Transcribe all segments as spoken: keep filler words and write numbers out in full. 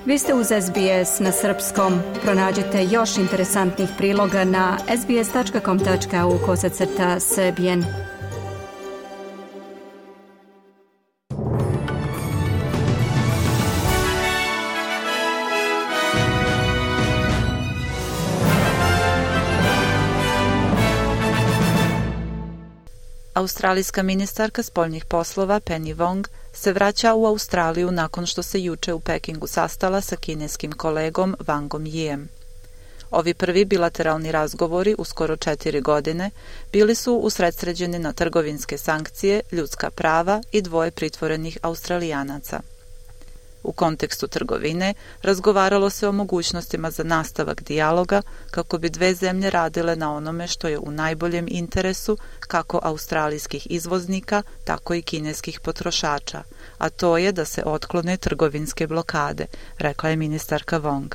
Vi ste uz S B S na srpskom. Pronađite još interesantnih priloga na sbs.com tačka au kosacrta srbijen. Australijska ministarka spoljnih poslova Penny Wong se vraća u Australiju nakon što se juče u Pekingu sastala sa kineskim kolegom Wangom Yijem. Ovi prvi bilateralni razgovori u skoro četiri godine bili su usredsređeni na trgovinske sankcije, ljudska prava i dvoje pritvorenih Australijanaca. U kontekstu trgovine razgovaralo se o mogućnostima za nastavak dijaloga kako bi dve zemlje radile na onome što je u najboljem interesu kako australijskih izvoznika, tako i kineskih potrošača, a to je da se otklone trgovinske blokade, rekla je ministarka Wong.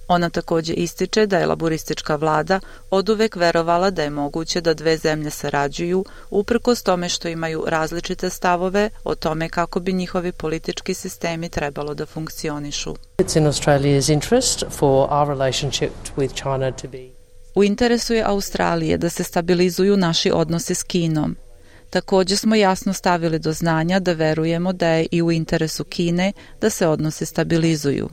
Ona također ističe da je laburistička vlada oduvek verovala da je moguće da dve zemlje sarađuju, uprkos tome što imaju različite stavove o tome kako bi njihovi politički sistemi trebalo da funkcionišu. U interesu je Australije da se stabilizuju naši odnosi s Kinom. Također smo jasno stavili do znanja da verujemo da je i u interesu Kine da se odnosi stabilizuju.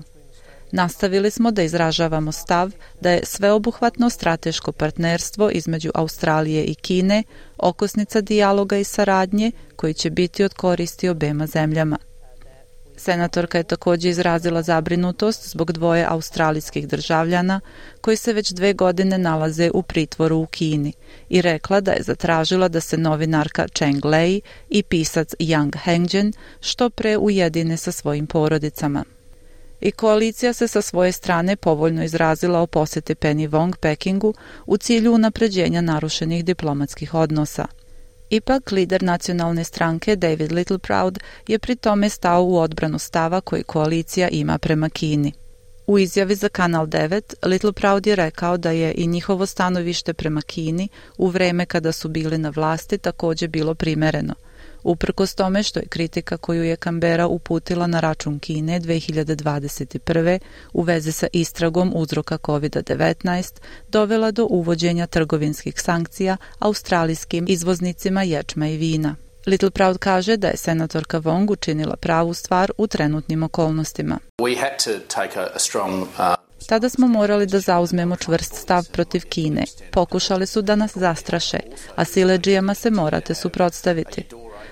Nastavili smo da izražavamo stav da je sveobuhvatno strateško partnerstvo između Australije i Kine okosnica dijaloga i saradnje koji će biti od koristi obema zemljama. Senatorka je također izrazila zabrinutost zbog dvoje australijskih državljana koji se već dve godine nalaze u pritvoru u Kini i rekla da je zatražila da se novinarka Cheng Lei i pisac Yang Hengzhen što pre ujedine sa svojim porodicama. I koalicija se sa svoje strane povoljno izrazila o posjeti Penny Wong Pekingu u cilju unapređenja narušenih diplomatskih odnosa. Ipak, lider nacionalne stranke David Littleproud je pri tome stao u odbranu stava koji koalicija ima prema Kini. U izjavi za Kanal devet, Littleproud je rekao da je i njihovo stanovište prema Kini u vreme kada su bili na vlasti također bilo primereno, uprkos tome što je kritika koju je Canberra uputila na račun Kine dve hiljade dvadeset prve u vezi sa istragom uzroka kovid devetnaest dovela do uvođenja trgovinskih sankcija australijskim izvoznicima ječma i vina. Littleproud kaže da je senatorka Wong učinila pravu stvar u trenutnim okolnostima. We had to take a, a strong, uh... Tada smo morali da zauzmemo čvrst stav protiv Kine. Pokušali su da nas zastraše, a siledžijama se morate suprotstaviti.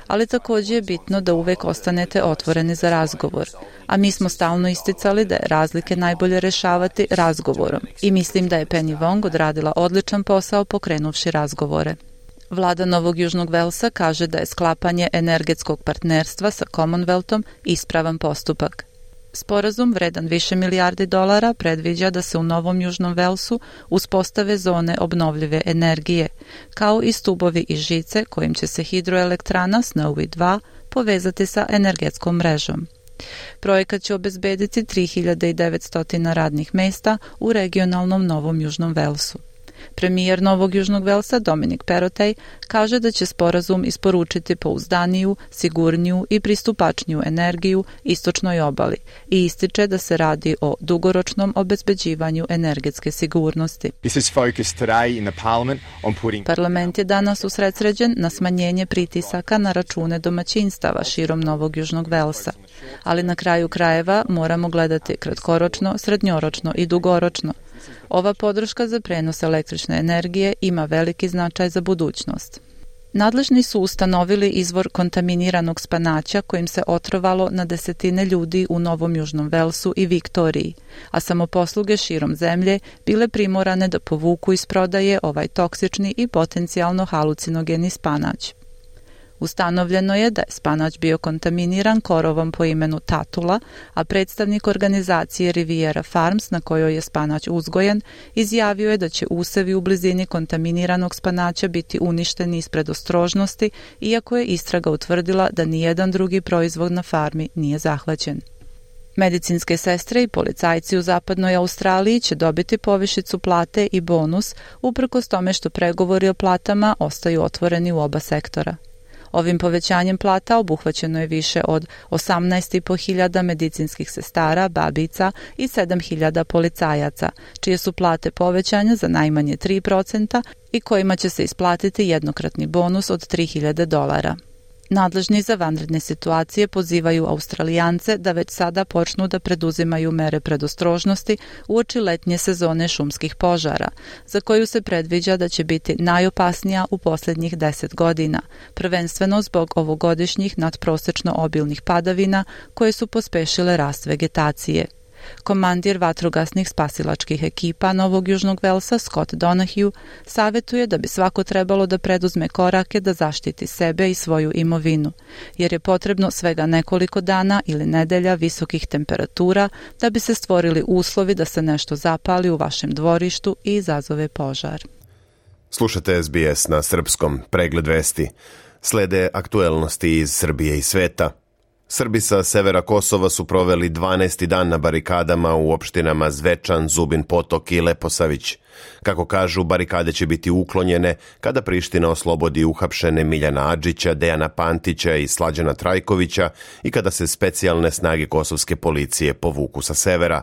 Ali također je bitno da uvek ostanete otvoreni za razgovor, a mi smo stalno isticali da je razlike najbolje rešavati razgovorom i mislim da je Penny Wong odradila odličan posao pokrenuvši razgovore. Vlada Novog Južnog Velsa kaže da je sklapanje energetskog partnerstva sa Commonwealthom ispravan postupak. Sporazum vredan više milijardi dolara predviđa da se u Novom Južnom Velsu uspostave zone obnovljive energije, kao i stubovi i žice kojim će se hidroelektrana Snowy dva povezati sa energetskom mrežom. Projekat će obezbediti tri hiljade devetsto radnih mesta u regionalnom Novom Južnom Velsu. Premijer Novog Južnog Velsa Dominic Perrottet kaže da će sporazum isporučiti pouzdaniju, sigurniju i pristupačniju energiju istočnoj obali i ističe da se radi o dugoročnom obezbeđivanju energetske sigurnosti. Parlament je danas usredsređen na smanjenje pritisaka na račune domaćinstava širom Novog Južnog Velsa, ali na kraju krajeva moramo gledati kratkoročno, srednjoročno i dugoročno. Ova podrška za prenos električne energije ima veliki značaj za budućnost. Nadležni su ustanovili izvor kontaminiranog spanaća kojim se otrovalo na desetine ljudi u Novom Južnom Velsu i Viktoriji, a samoposluge širom zemlje bile primorane da povuku iz prodaje ovaj toksični i potencijalno halucinogeni spanać. Ustanovljeno je da je spanać bio kontaminiran korovom po imenu Tatula, a predstavnik organizacije Riviera Farms, na kojoj je spanać uzgojen, izjavio je da će usevi u blizini kontaminiranog spanaća biti uništeni iz predostrožnosti, iako je istraga utvrdila da nijedan drugi proizvod na farmi nije zahvaćen. Medicinske sestre i policajci u zapadnoj Australiji će dobiti povišicu plate i bonus, uprkos tome što pregovori o platama ostaju otvoreni u oba sektora. Ovim povećanjem plata obuhvaćeno je više od osamnaest i po hiljada medicinskih sestara, babica i sedam hiljada policajaca, čije su plate povećane za najmanje tri procenta i kojima će se isplatiti jednokratni bonus od tri hiljade dolara. Nadležni za vanredne situacije pozivaju Australijance da već sada počnu da preduzimaju mere predostrožnosti uoči letnje sezone šumskih požara, za koju se predviđa da će biti najopasnija u posljednjih deset godina, prvenstveno zbog ovogodišnjih nadprosečno obilnih padavina koje su pospešile rast vegetacije. Komandir vatrogasnih spasilačkih ekipa Novog Južnog Velsa, Scott Donahue, savjetuje da bi svako trebalo da preduzme korake da zaštiti sebe i svoju imovinu, jer je potrebno svega nekoliko dana ili nedelja visokih temperatura da bi se stvorili uslovi da se nešto zapali u vašem dvorištu i izazove požar. Slušate S B S na srpskom, pregled vesti. Slede aktuelnosti iz Srbije i sveta. Srbi sa severa Kosova su proveli dvanaesti dan na barikadama u opštinama Zvečan, Zubin Potok i Leposavić. Kako kažu, barikade će biti uklonjene kada Priština oslobodi uhapšene Miljana Adžića, Dejana Pantića i Slađana Trajkovića i kada se specijalne snage kosovske policije povuku sa severa.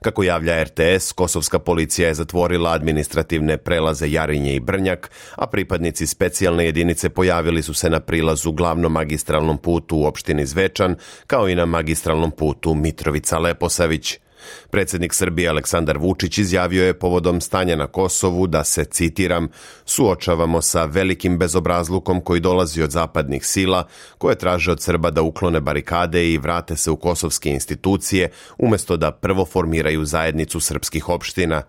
Kako javlja R T S, kosovska policija je zatvorila administrativne prelaze Jarinje i Brnjak, a pripadnici specijalne jedinice pojavili su se na prilazu glavnom magistralnom putu u opštini Zvečan, kao i na magistralnom putu Mitrovica-Leposavić. Predsjednik Srbije Aleksandar Vučić izjavio je povodom stanja na Kosovu da se, citiram, suočavamo sa velikim bezobrazlukom koji dolazi od zapadnih sila koje traže od Srba da uklone barikade i vrate se u kosovske institucije umjesto da prvo formiraju zajednicu srpskih opština.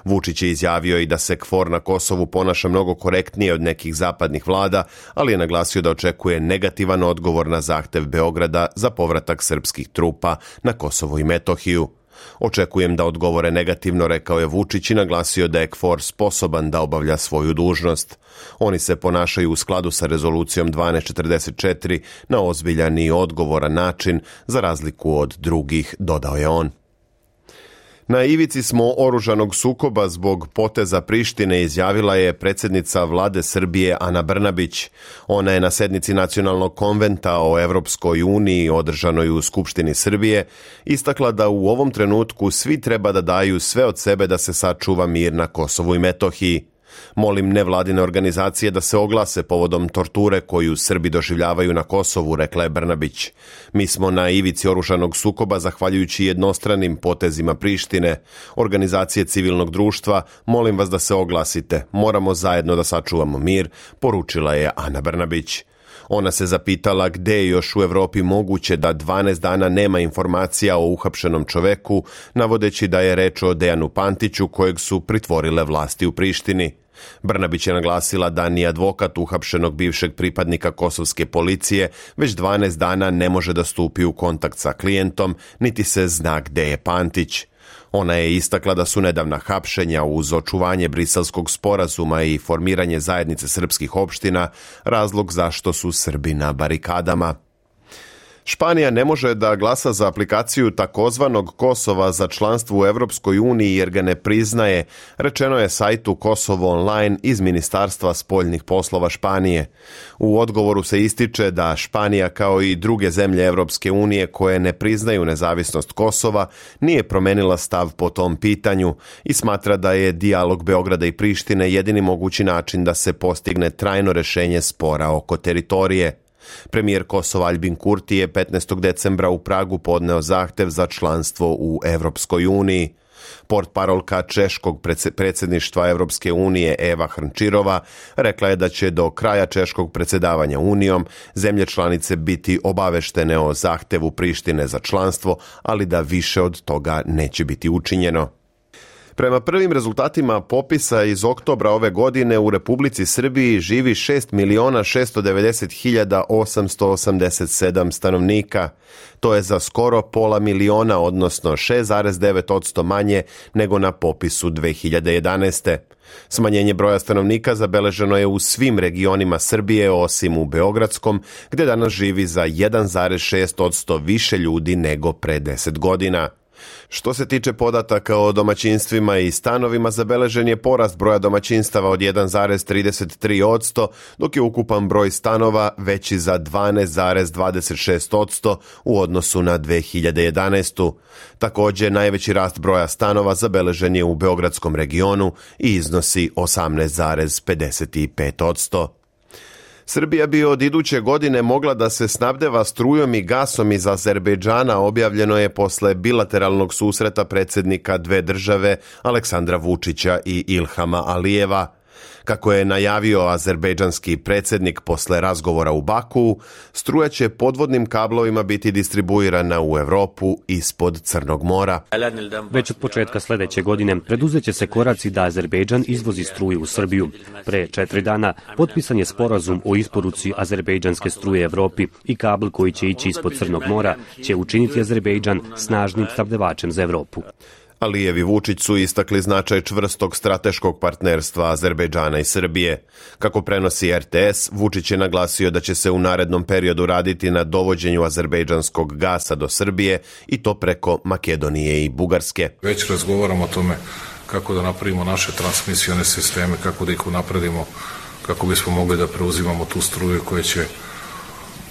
Vučić je izjavio i da se KFOR na Kosovu ponaša mnogo korektnije od nekih zapadnih vlada, ali je naglasio da očekuje negativan odgovor na zahtev Beograda za povratak srpskih trupa na Kosovo i Metohiju. Očekujem da odgovore negativno, rekao je Vučić i naglasio da je KFOR sposoban da obavlja svoju dužnost. Oni se ponašaju u skladu sa rezolucijom dvanaest četrdeset četiri na ozbiljan i odgovoran način, za razliku od drugih, dodao je on. Na ivici smo oružanog sukoba zbog poteza Prištine, izjavila je predsjednica vlade Srbije Ana Brnabić. Ona je na sednici Nacionalnog konventa o Evropskoj uniji održanoj u Skupštini Srbije istakla da u ovom trenutku svi treba da daju sve od sebe da se sačuva mir na Kosovu i Metohiji. Molim nevladine organizacije da se oglase povodom torture koju Srbi doživljavaju na Kosovu, rekla je Brnabić. Mi smo na ivici oružanog sukoba zahvaljujući jednostranim potezima Prištine. Organizacije civilnog društva, molim vas da se oglasite. Moramo zajedno da sačuvamo mir, poručila je Ana Brnabić. Ona se zapitala gde je još u Evropi moguće da dvanaest dana nema informacija o uhapšenom čoveku, navodeći da je reč o Dejanu Pantiću kojeg su pritvorile vlasti u Prištini. Brnabić je naglasila da ni advokat uhapšenog bivšeg pripadnika kosovske policije već dvanaest dana ne može da stupi u kontakt sa klijentom, niti se zna gde je Pantić. Ona je istakla da su nedavna hapšenja uz očuvanje Briselskog sporazuma i formiranje zajednice srpskih opština razlog zašto su Srbi na barikadama. Španija ne može da glasa za aplikaciju takozvanog Kosova za članstvo u Evropskoj uniji jer ga ne priznaje, rečeno je sajtu Kosovo online iz Ministarstva spoljnih poslova Španije. U odgovoru se ističe da Španija kao i druge zemlje Evropske unije koje ne priznaju nezavisnost Kosova nije promenila stav po tom pitanju i smatra da je dijalog Beograda i Prištine jedini mogući način da se postigne trajno rešenje spora oko teritorije. Premijer Kosova Aljbin Kurti je petnaestog decembra u Pragu podneo zahtev za članstvo u Evropskoj uniji. Portparolka češkog predsjedništva Evropske unije Eva Hrnčirova rekla je da će do kraja češkog predsjedavanja Unijom zemlje članice biti obaveštene o zahtevu Prištine za članstvo, ali da više od toga neće biti učinjeno. Prema prvim rezultatima popisa iz oktobra ove godine u Republici Srbiji živi šest miliona šesto devedeset hiljada osamsto osamdeset sedam stanovnika. To je za skoro pola miliona, odnosno šest zarez devet posto manje nego na popisu dve hiljade jedanaeste. Smanjenje broja stanovnika zabeleženo je u svim regionima Srbije osim u Beogradskom, gdje danas živi za jedan zarez šest posto više ljudi nego pre deset godina. Što se tiče podataka o domaćinstvima i stanovima, zabeležen je porast broja domaćinstava od jedan zarez trideset tri posto, dok je ukupan broj stanova veći za dvanaest zarez dvadeset šest posto u odnosu na dve hiljade jedanaestu. Također, najveći rast broja stanova zabeležen je u beogradskom regionu i iznosi osamnaest zarez pedeset pet posto. Srbija bi od iduće godine mogla da se snabdeva strujom i gasom iz Azerbejdžana, objavljeno je posle bilateralnog susreta predsjednika dve države Aleksandra Vučića i Ilhama Alijeva. Kako je najavio azerbejdžanski predsjednik posle razgovora u Bakuu, struja će podvodnim kablovima biti distribuirana u Evropu ispod Crnog mora. Već od početka sljedeće godine preduzeće se koraci da Azerbejdžan izvozi struju u Srbiju. Pre četiri dana potpisan je sporazum o isporuci azerbejdžanske struje Evropi i kabel koji će ići ispod Crnog mora će učiniti Azerbejdžan snažnim snabdevačem za Evropu. Alijev i Vučić su istakli značaj čvrstog strateškog partnerstva Azerbejdžana i Srbije. Kako prenosi er te es, Vučić je naglasio da će se u narednom periodu raditi na dovođenju azerbejdžanskog gasa do Srbije i to preko Makedonije i Bugarske. Već razgovaramo o tome kako da napravimo naše transmisione sisteme, kako da ih unapredimo, kako bismo mogli da preuzimamo tu struju koja će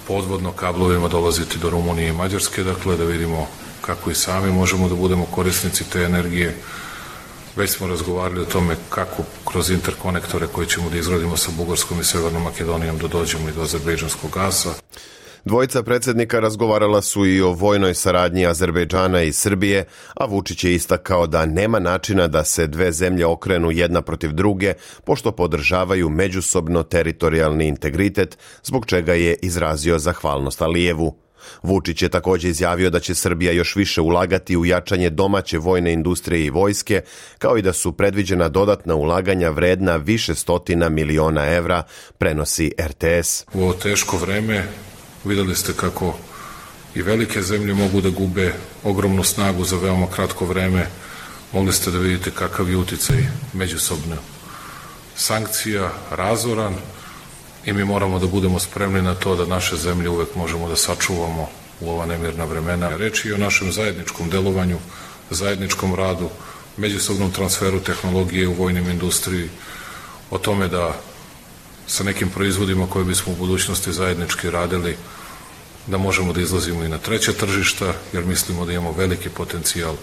podvodno kablovima dolaziti do Rumunije i Mađarske, dakle da vidimo kako i sami možemo da budemo korisnici te energije. Već smo razgovarali o tome kako kroz interkonektore koje ćemo da izgradimo sa Bugarskom i Severnom Makedonijom da dođemo i do azerbejdžanskog gasa. Dvojica predsjednika razgovarala su i o vojnoj saradnji Azerbejdžana i Srbije, a Vučić je istakao da nema načina da se dve zemlje okrenu jedna protiv druge, pošto podržavaju međusobno teritorijalni integritet, zbog čega je izrazio zahvalnost Alijevu. Vučić je također izjavio da će Srbija još više ulagati u jačanje domaće vojne industrije i vojske, kao i da su predviđena dodatna ulaganja vredna više stotina miliona evra, prenosi er te es. U ovo teško vreme vidjeli ste kako i velike zemlje mogu da gube ogromnu snagu za veoma kratko vreme. Mogli ste da vidite kakav je uticaj međusobno sankcija, razoran, i mi moramo da budemo spremni na to da naše zemlje uvek možemo da sačuvamo u ova nemirna vremena. Reč je o našem zajedničkom delovanju, zajedničkom radu, međusobnom transferu tehnologije u vojnim industriji, o tome da sa nekim proizvodima koje bismo u budućnosti zajednički radili, da možemo da izlazimo i na treće tržišta, jer mislimo da imamo veliki potencijal.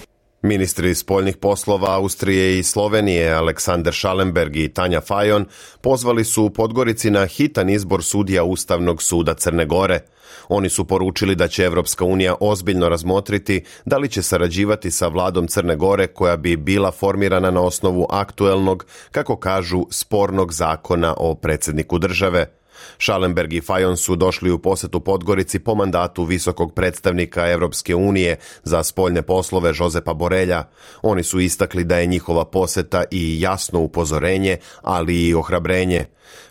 Ministri spoljnih poslova Austrije i Slovenije Aleksandar Schallenberg i Tanja Fajon pozvali su u Podgorici na hitan izbor sudija Ustavnog suda Crne Gore. Oni su poručili da će Evropska unija ozbiljno razmotriti da li će sarađivati sa vladom Crne Gore koja bi bila formirana na osnovu aktuelnog, kako kažu, spornog zakona o predsjedniku države. Schallenberg i Fajon su došli u posetu Podgorici po mandatu visokog predstavnika Evropske unije za spoljne poslove Josepa Borelja. Oni su istakli da je njihova poseta i jasno upozorenje, ali i ohrabrenje.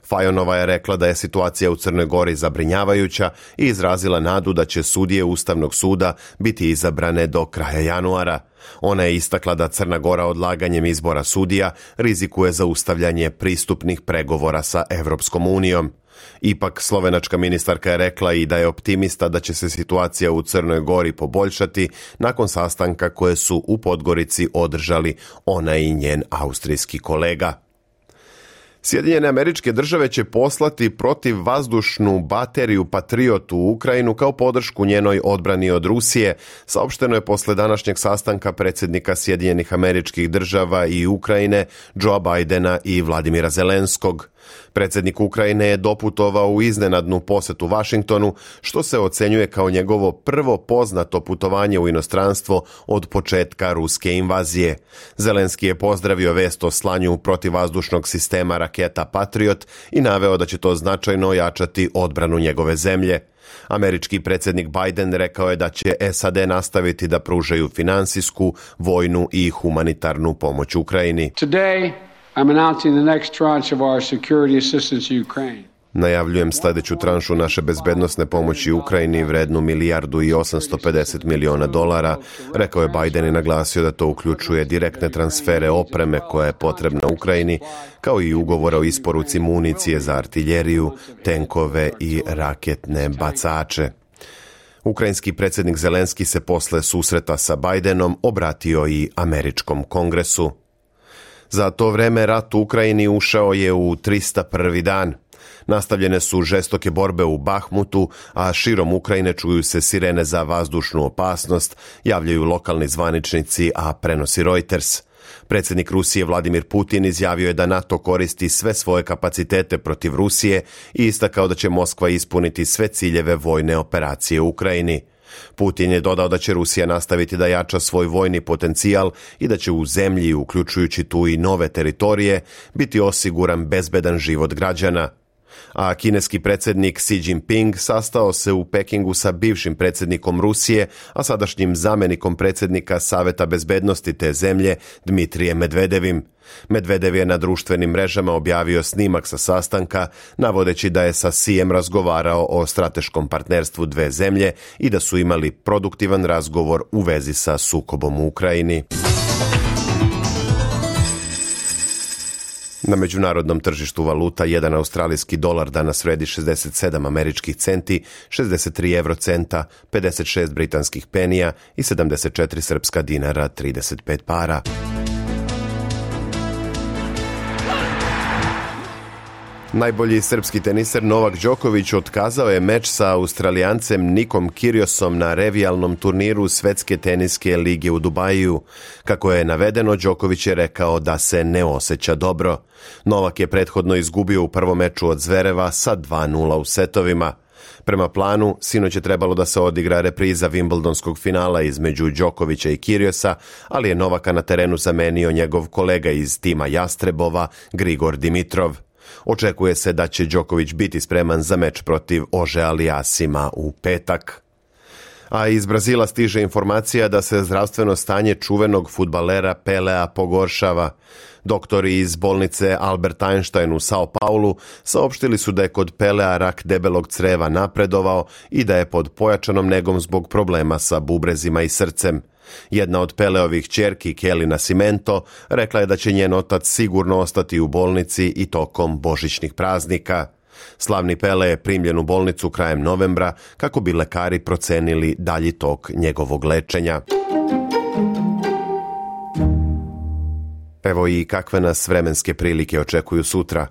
Fajonova je rekla da je situacija u Crnoj Gori zabrinjavajuća i izrazila nadu da će sudije Ustavnog suda biti izabrane do kraja januara. Ona je istakla da Crna Gora odlaganjem izbora sudija rizikuje zaustavljanje pristupnih pregovora sa Evropskom unijom. Ipak, slovenačka ministarka je rekla i da je optimista da će se situacija u Crnoj Gori poboljšati nakon sastanka koje su u Podgorici održali ona i njen austrijski kolega. Sjedinjene Američke Države će poslati protivvazdušnu bateriju Patriot u Ukrajinu kao podršku njenoj odbrani od Rusije, saopšteno je posle današnjeg sastanka predsjednika Sjedinjenih Američkih Država i Ukrajine Joea Bidena i Vladimira Zelenskog. Predsjednik Ukrajine je doputovao u iznenadnu posetu Vašingtonu, što se ocenjuje kao njegovo prvo poznato putovanje u inostranstvo od početka ruske invazije. Zelenski je pozdravio vest o slanju protivvazdušnog sistema raketa Patriot i naveo da će to značajno ojačati odbranu njegove zemlje. Američki predsjednik Biden rekao je da će es a de nastaviti da pružaju finansijsku, vojnu i humanitarnu pomoć Ukrajini. Today, I'm announcing the next tranche of our security assistance to Ukraine. Najavljujem sljedeću tranšu naše bezbednosne pomoći Ukrajini vrednu milijardu i osamsto pedeset miliona dolara, rekao je Biden i naglasio da to uključuje direktne transfere opreme koja je potrebna Ukrajini, kao i ugovore o isporuci municije za artiljeriju, tenkove i raketne bacače. Ukrajinski predsjednik Zelenski se posle susreta sa Bajdenom obratio i američkom kongresu. Za to vreme rat u Ukrajini ušao je u trista prvi dan. Nastavljene su žestoke borbe u Bahmutu, a širom Ukrajine čuju se sirene za vazdušnu opasnost, javljaju lokalni zvaničnici, a prenosi Reuters. Predsjednik Rusije Vladimir Putin izjavio je da NATO koristi sve svoje kapacitete protiv Rusije i istakao da će Moskva ispuniti sve ciljeve vojne operacije u Ukrajini. Putin je dodao da će Rusija nastaviti da jača svoj vojni potencijal i da će u zemlji, uključujući tu i nove teritorije, biti osiguran bezbedan život građana. A kineski predsjednik Xi Jinping sastao se u Pekingu sa bivšim predsjednikom Rusije, a sadašnjim zamjenikom predsjednika Saveta bezbednosti te zemlje Dmitrijem Medvedevim. Medvedev je na društvenim mrežama objavio snimak sa sastanka, navodeći da je sa Xijem razgovarao o strateškom partnerstvu dve zemlje i da su imali produktivan razgovor u vezi sa sukobom u Ukrajini. Na međunarodnom tržištu valuta jedan australijski dolar danas vredi šezdeset sedam američkih centi, šezdeset tri evrocenta, pedeset šest britanskih penija i sedamdeset četiri srpska dinara trideset pet para. Najbolji srpski teniser Novak Đoković otkazao je meč sa Australijancem Nikom Kyrgiosom na revijalnom turniru Svetske teniske lige u Dubaju. Kako je navedeno, Đoković je rekao da se ne osjeća dobro. Novak je prethodno izgubio u prvom meču od Zvereva sa dva nula u setovima. Prema planu, sinoć je trebalo da se odigra repriza Wimbledonskog finala između Đokovića i Kyrgiosa, ali je Novaka na terenu zamenio njegov kolega iz tima Jastrebova, Grigor Dimitrov. Očekuje se da će Đoković biti spreman za meč protiv Ože Aliasima u petak. A iz Brazila stiže informacija da se zdravstveno stanje čuvenog fudbalera Pelea pogoršava. Doktori iz bolnice Albert Einstein u Sao Paulu saopštili su da je kod Pelea rak debelog creva napredovao i da je pod pojačanom negom zbog problema sa bubrezima i srcem. Jedna od Peleovih ćerki, Kelly Nascimento, rekla je da će njen otac sigurno ostati u bolnici i tokom božićnih praznika. Slavni Pele je primljen u bolnicu krajem novembra kako bi lekari procenili dalji tok njegovog lečenja. Evo i kakve nas vremenske prilike očekuju sutra.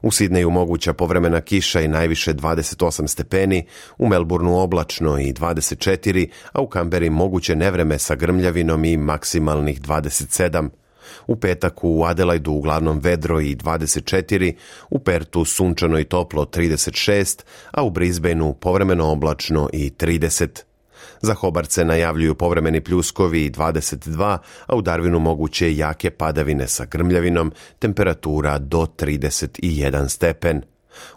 U Sidneju moguća povremena kiša i najviše dvadeset osam stepeni, u Melbourneu oblačno i dvadeset četiri, a u Kamberi moguće nevreme sa grmljavinom i maksimalnih dvadeset sedam. U petak u Adelaidu uglavnom vedro i dvadeset četiri, u Pertu sunčano i toplo trideset šest, a u Brisbaneu povremeno oblačno i trideset. Za Hobart se najavljuju povremeni pljuskovi i dvadeset dva, a u Darwinu moguće jake padavine sa grmljavinom, temperatura do trideset jedan stepen.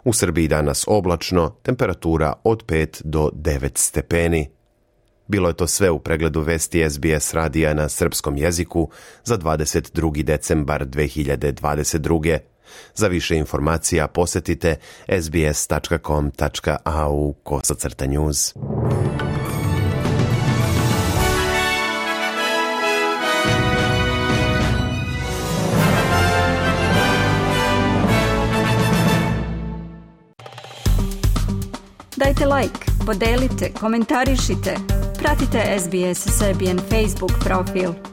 U Srbiji danas oblačno, temperatura od pet do devet stepeni. Bilo je to sve u pregledu vesti S B S radija na srpskom jeziku za dvadeset drugi decembar dve hiljade dvadeset druge. Za više informacija posjetite s b s tačka com tačka a u kosacrta news. Dajte like, podelite, komentarišite, pratite S B S Serbian Facebook profil.